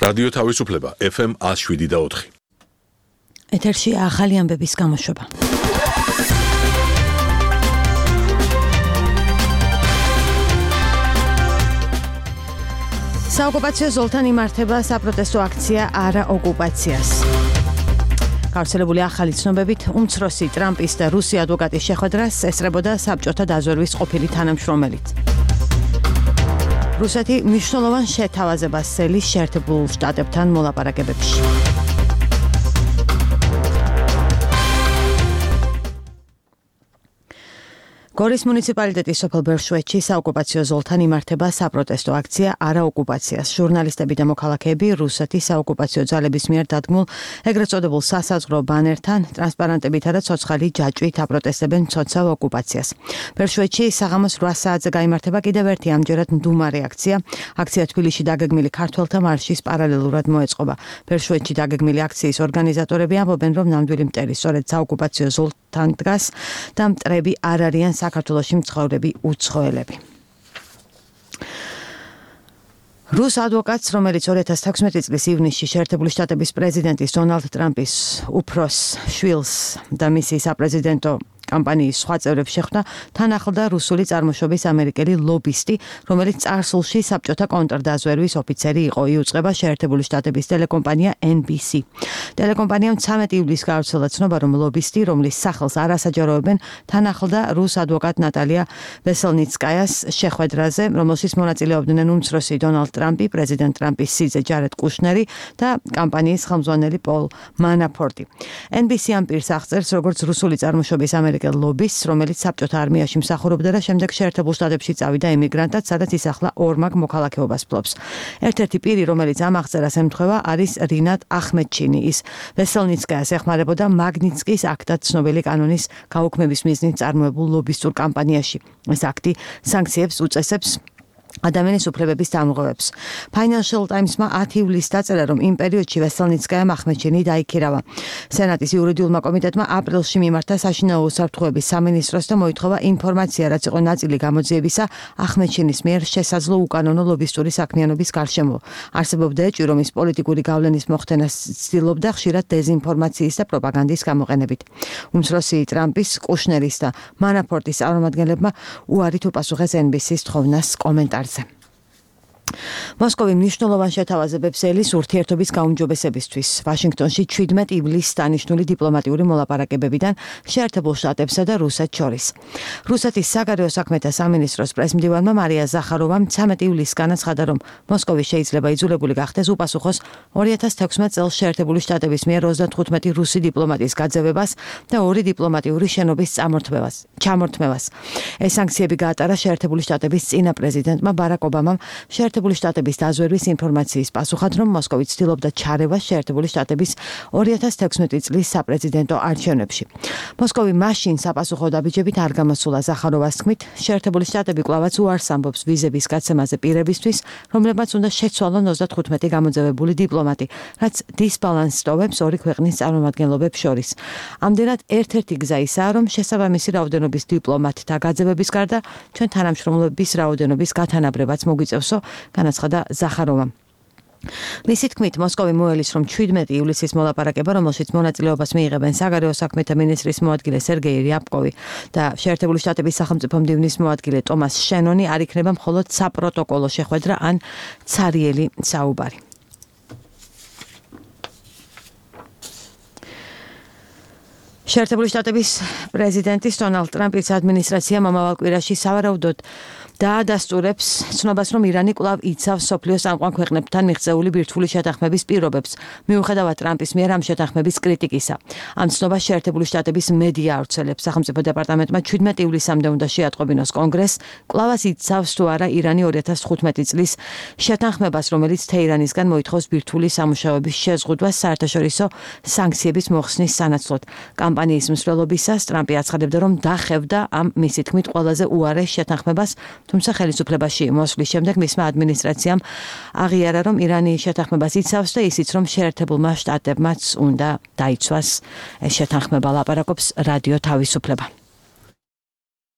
რადიო თავისუფლება FM 107.4. ეთერში ახალი ამბების გამოშვება. საოკუპაციო ზოლთან იმართება საპროტესტო აქცია არა ოკუპაციას. გავრცელებული ახალი ცნობებით უმცროსი ტრამპის და რუსი ადვოკატის შეხვედრას ესწრებოდა საბჭოთა დაზვერვის ყოფილი თანამშრომელით. რუსეთი მნიშვნელოვან შეთავაზებას სელის შეერთებულ შტატებთან მოლაპარაკებებში. გორის მუნიციპალიტეტის სოფელ ბერშვეთში საოკუპაციო ზოლთან იმართება საპროტესტო აქცია არა ოკუპაციას. ჟურნალისტები და მოქალაქეები რუსეთის საოკუპაციო ძალების მიერ დადგმულ ეგრეთ წოდებულ სასაზღვრო ბანერთან, ტრანსპარანტებითა და ცოცხალი ჯაჭვით აპროტესტებენ მცოცავ ოკუპაციას. ბერშვეთში საღამოს 8 საათზე გაიმართება კიდევ ერთი ამჯერად მდუმარე აქცია. აქცია თბილისში დაგეგმილი ქართველთა მარშის პარალელურად მოეწყობა. ბერშვეთში დაგეგმილი აქციის ორგანიზატორები ამბობენ, რომ ნამდვილი მტერი სწორედ საოკუპაციო ზოლთან დგას და მტრები არ არიან საქართველოში მცხოვრები უცხოელები. რუს ადვოკატს, რომელიც 2016 წლის ივნისში შეერთებული შტატების პრეზიდენტის დონალდ ტრამპის უფროს შვილს და მისი საპრეზიდენტო კამპანიის სხვა წევრებს შეხვდა, თან ახლდა რუსული წარმოშობის ამერიკელი ლობისტი, რომელიც წარსულში საბჭოთა კონტრდაზვერვის ოფიცერი იყო. იუწყება შეერთებული შტატების ტელეკომპანია NBC. ტელეკომპანიამ 13 ივლისს გავრცელა ცნობა, რომ ლობისტი, რომლის სახელს არ ასაჯაროებენ, თან ახლდა რუს ადვოკატ ნატალია ვესელნიცკაიას შეხვედრაზე, რომელშიც მონაწილეობდნენ უმცროსი დონალდ ტრამპი, პრეზიდენტ ტრამპის სიძე ჯარედ კუშნერი და კამპანიის ხელმძღვანელი პოლ მანაფორტი. NBC ამ პირს აღწერს, როგორც რუსული წარმოშობის ლობისტს, რომელიც საბჭოთა არმიაში მსახურობდა და შემდეგ შეერთებულ შტატებში წავიდა ემიგრანტად, სადაც ის ახლა ორმაგ მოქალაქეობას ფლობს. ერთ-ერთი პირი, რომელიც ამ აღწერას ემთხვევა, არის რინატ ახმედჩინი. ის ვესელნიცკაიას ეხმარებოდა მაგნიცკის აქტად ცნობილი კანონის გაუქმების მიზნით წარმოებულ ლობისტურ კამპანიაში. ეს აქტი სანქციებს უწესებს ადამიანის უფლებების დამღებებს. Financial Times-მა 10 ივლისს დაწერა, რომ იმ პერიოდში ვესელნიცკაიამ ახმედჩინი დაიქირავა. სენატის იურიდიულმა კომიტეტმა აპრილში მიმართა საშინაო უსაფრთხოების სამინისტროს და მოითხოვა ინფორმაცია, რაც იყო ნაწილი გამოძიებისა ახმედჩინის მიერ შესაძლო უკანონო ლობისტური საქმიანობის გარშემო. არსებობდა ეჭვი, რომ ის პოლიტიკური გავლენის მოხდენას ცდილობდა ხშირად დეზინფორმაციის და პროპაგანდის გამოყენებით. უმცროსი ტრამპის, კუშნერის და მანაფორტის წარმომადგენლებმა უარით უპასუხეს NBC-ს თხოვნას კომენტარზე. მოსკოვი მნიშვნელოვან შეთავაზებებს ელის ურთიერთობის გაუმჯობესებისთვის. ვაშინგტონში 17 ივლისს დანიშნული დიპლომატიური მოლაპარაკებებიდან შეერთებულ შტატებსა და რუსეთს შორის. რუსეთის საგარეო საქმეთა სამინისტროს პრესმდივანმა მარია ზახაროვამ 13 ივლისს განაცხადა, რომ მოსკოვი შეიძლება იძულებული გახდეს უპასუხოს 2016 წელს შეერთებული შტატების მიერ 35 რუსი დიპლომატის გაძევებას და 2 დიპლომატიური შენობის ჩამორთმევას. ეს სანქციები გაატარა შეერთებული შტატების წინა პრეზიდენტმა ბარაკ ობამამ შეერთებული შტატების დაზვერვის ინფორმაციის პასუხად, რომ მოსკოვი ცდილობდა ჩარევას შეერთებული შტატების 2016 წლის საპრეზიდენტო არჩევნებში. მოსკოვი მაშინ საპასუხო დაბიჯებით არ გამოსულა. ზახაროვას თქმით, შეერთებული შტატები კვლავაც უარს ამბობს ვიზების გაცემაზე პირებისთვის, რომლებმაც უნდა შეცვალონ 35 გამოძევებული დიპლომატი, რაც დისბალანსს ტოვებს ორი ქვეყნის წარმომადგენლობებს შორის. ამდენად ერთ-ერთი გზა ისაა, რომ შესაბამისი რაოდენობის დიპლომატთა გაძევების გარდა ჩვენ თანამშრომლობის რაოდენობის გათანაბრებაც მოგვიწევსო, განაცხადა ზახაროვამ. მისი თქმით, მოსკოვი მოელის, რომ 17 ივლისის მოლაპარაკება, რომელშიც მონაწილეობას მიიღებენ საგარეო საქმეთა მინისტრის მოადგილე სერგეი რიაბკოვი და შეერთებული შტატების სახელმწიფო მდივნის მოადგილე ტომას შენონი არ იქნება მხოლოდ საპროტოკოლო შეხვედრა ან ცარიელი საუბარი. შეერთებული შტატების პრეზიდენტის დონალდ ტრამპის ადმინისტრაციამ მომავალ კვირაში სავარაუდოდ დაადასტურებს ცნობას, რომ ირანი კვლავ იცავს მსოფლიოს წამყვან ქვეყნებთან მიღწეული ბირთვული შეთანხმების პირობებს, მიუხედავად ტრამპის მიერ ამ შეთანხმების კრიტიკისა. ამ ცნობას შეერთებული შტატების მედია ავრცელებს. სახელმწიფო დეპარტამენტმა 17 ივლისამდე უნდა შეატყობინოს კონგრესს, კვლავაც იცავს თუ არა ირანი 2015 წლის შეთანხმებას, რომელიც თეირანისგან მოითხოვს ბირთვული სამუშაოების შეზღუდვას საერთაშორისო სანქციების მოხსნის სანაცვლოდ. კამპანიის მსვლელობისას ტრამპი აცხადებდა, რომ დახევდა ამ მისი თქმით ყველაზე უარეს შეთანხმებას, თუმცა ხელისუფლებაში მოსვლის შემდეგ მისმა ადმინისტრაციამ აღიარა, რომ ირანი შეთანხმებას იცავს და ისიც, რომ შეერთებულმა შტატებმაც უნდა დაიცვას ეს შეთანხმება. ლაპარაკობს რადიო თავისუფლება.